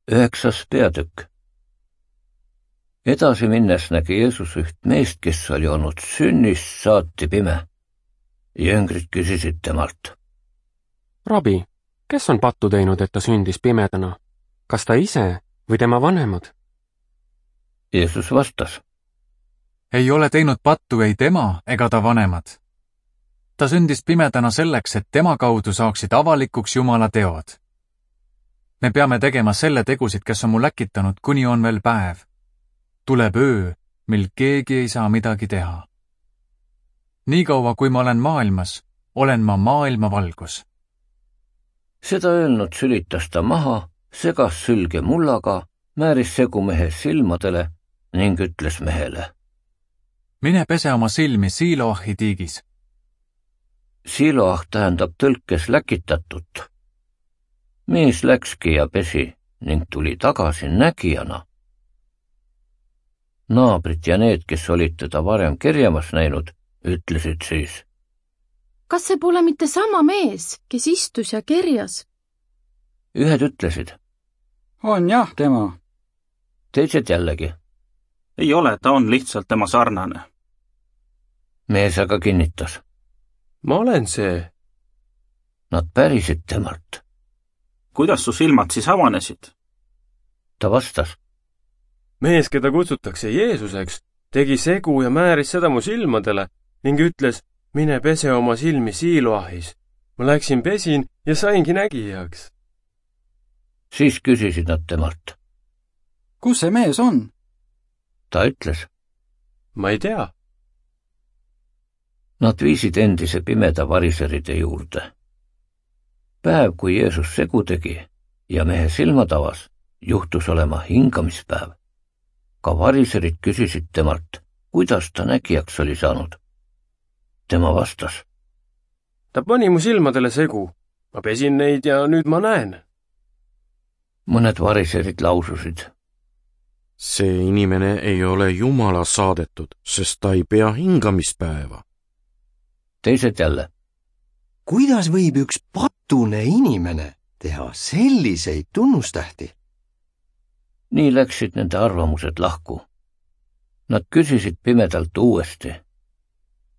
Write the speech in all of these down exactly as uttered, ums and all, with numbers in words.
Üheksas peatükk. Edasi minnes nägi Jeesus üht meest, kes oli olnud sünnist saati pime. Jüngrid küsisid temalt. Rabi, kes on pattu teinud, et ta sündis pimedana? Kas ta ise või tema vanemad? Jeesus vastas. Ei ole teinud pattu ei tema ega ta vanemad. Ta sündis pimedana selleks, et tema kaudu saaksid avalikuks Jumala teod. Me peame tegema selle tegusid, kes on mu läkitanud, kuni on veel päev. Tuleb öö, mil keegi ei saa midagi teha. Niikaua, kui ma olen maailmas, olen ma maailma valgus. Seda öelnud sülitas ta maha, segas sülge mullaga, määris segu mehe silmadele ning ütles mehele. Mine pese oma silmi Siiloahi tiigis. Siiloah tähendab tõlkes läkitatut. Mees läkski ja pesi ning tuli tagasi nägijana. Naabrid ja need, kes olid teda varem kerjamas näinud, ütlesid siis. Kas see pole mitte sama mees, kes istus ja kerjas? Ühed ütlesid. On jah, tema. Teised jällegi. Ei ole, ta on lihtsalt tema sarnane. Mees aga kinnitas. Ma olen see. Nad pärisid temalt. Kuidas su silmad siis avanesid? Ta vastas. Mees, keda kutsutakse Jeesuseks, tegi segu ja määris seda mu silmadele ning ütles, mine pese oma silmi Siiloahis. Ma läksin pesin ja saingi nägijaks. Siis küsisid nad temalt. Kus see mees on? Ta ütles. Ma ei tea. Nad viisid endise pimeda variseride juurde. Päev, kui Jeesus segu tegi ja mehe silmad avas, juhtus olema hingamispäev. Ka variserid küsisid temalt, kuidas ta nägijaks oli saanud. Tema vastas. Ta pani mu silmadele segu. Ma pesin neid ja nüüd ma näen. Mõned variserid laususid. See inimene ei ole Jumala saadetud, sest ta ei pea hingamispäeva. Teised jälle. Kuidas võib üks patune inimene teha selliseid tunnustähti? Nii läksid nende arvamused lahku. Nad küsisid pimedalt uuesti.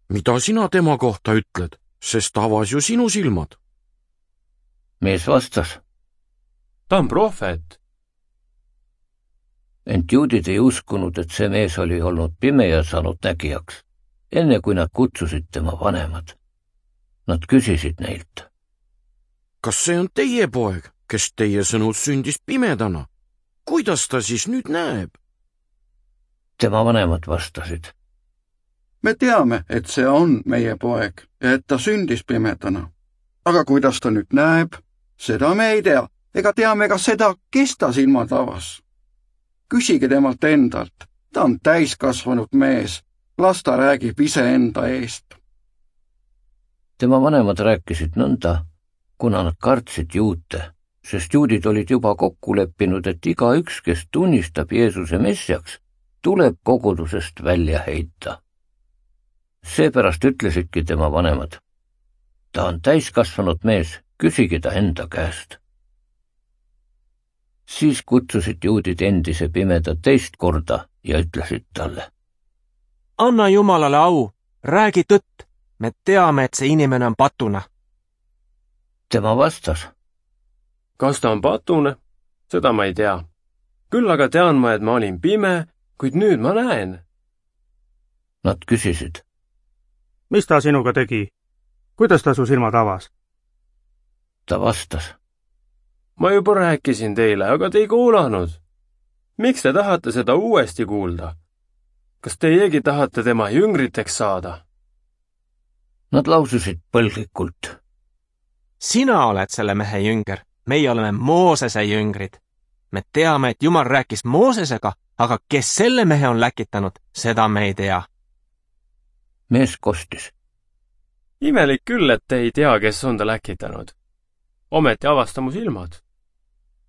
Mida sina tema kohta ütled, sest avas ju sinu silmad? Mees vastas. Ta on prohvet. Ent juudid ei uskunud, et see mees oli olnud pime ja saanud nägijaks, enne kui nad kutsusid tema vanemad. Nad küsisid neilt. Kas see on teie poeg, kes teie sõnul sündis pimedana? Kuidas ta siis nüüd näeb? Tema vanemad vastasid. Me teame, et see on meie poeg ja et ta sündis pimedana. Aga kuidas ta nüüd näeb, seda me ei tea, ega teame ka seda, kes ta silmad avas. Küsige temalt endalt, ta on täiskasvanud mees, las ta räägib ise enda eest. Tema vanemad rääkisid nõnda, kuna nad kartsid juute, sest juudid olid juba kokku leppinud, et iga üks, kes tunnistab Jeesuse messiaks, tuleb kogudusest välja heita. Seepärast ütlesidki tema vanemad. Ta on täiskasvanud mees, küsige ta enda käest. Siis kutsusid juudid endise pimeda teist korda ja ütlesid talle. Anna Jumalale au, räägi tõtt, me teame, et see inimene on patuna. Tema vastas. Kas ta on patune? Seda ma ei tea. Küll aga tean ma, et ma olin pime, kuid nüüd ma näen. Nad küsisid. Mis ta sinuga tegi? Kuidas ta su silmad avas? Ta vastas. Ma juba rääkisin teile, aga te ei kuulanud. Miks te tahate seda uuesti kuulda? Kas teiegi tahate tema jüngriteks saada? Nad laususid põlglikult. Sina oled selle mehe jünger, meie oleme Moosese jüngrid. Me teame, et Jumal rääkis Moosesega, aga kes selle mehe on läkitanud, seda me ei tea. Mees kostis. Imelik küll, et te ei tea, kes on ta läkitanud. Ometi avasta mu silmad.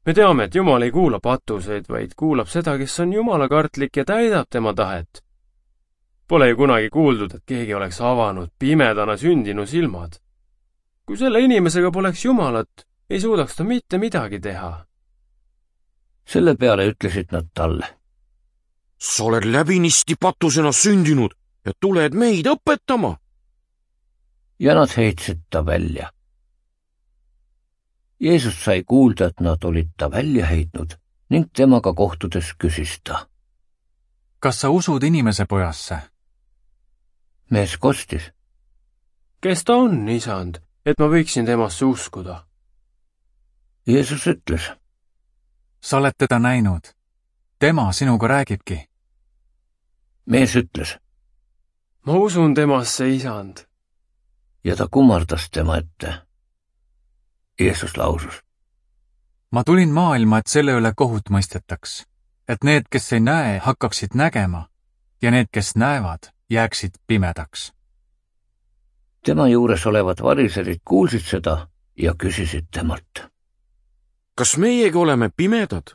Me teame, et Jumal ei kuula patuseid, vaid kuulab seda, kes on Jumalakartlik ja täidab tema tahet. Pole ju kunagi kuuldud, et keegi oleks avanud pimedana sündinu silmad. Kui selle inimesega poleks Jumalat, ei suudaks ta mitte midagi teha. selle peale ütlesid nad talle. Sa oled läbinisti patusena sündinud ja tuled meid õpetama. Ja nad heitsid ta välja. Jeesus sai kuulda, et nad olid ta välja heitnud ning temaga kohtudes küsis ta. Kas sa usud inimese pojasse? Mees kostis. Kes ta on, isand, et ma võiksin temasse uskuda? Jeesus ütles. Sa oled teda näinud. Tema sinuga räägibki. Mees ütles. Ma usun temasse, isand. Ja ta kummardas tema ette. Jeesus lausus. Ma tulin maailma, et selle üle kohut mõistetaks, et need, kes ei näe, hakkaksid nägema ja need, kes näevad, jääksid pimedaks. Tema juures olevad variserid kuulsid seda ja küsisid temalt. Kas meiegi oleme pimedad?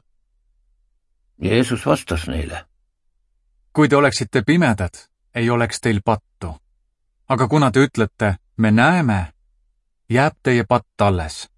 Jeesus vastas neile. Kui te oleksite pimedad, ei oleks teil pattu. Aga kuna te ütlete, me näeme, jääb teie patt alles.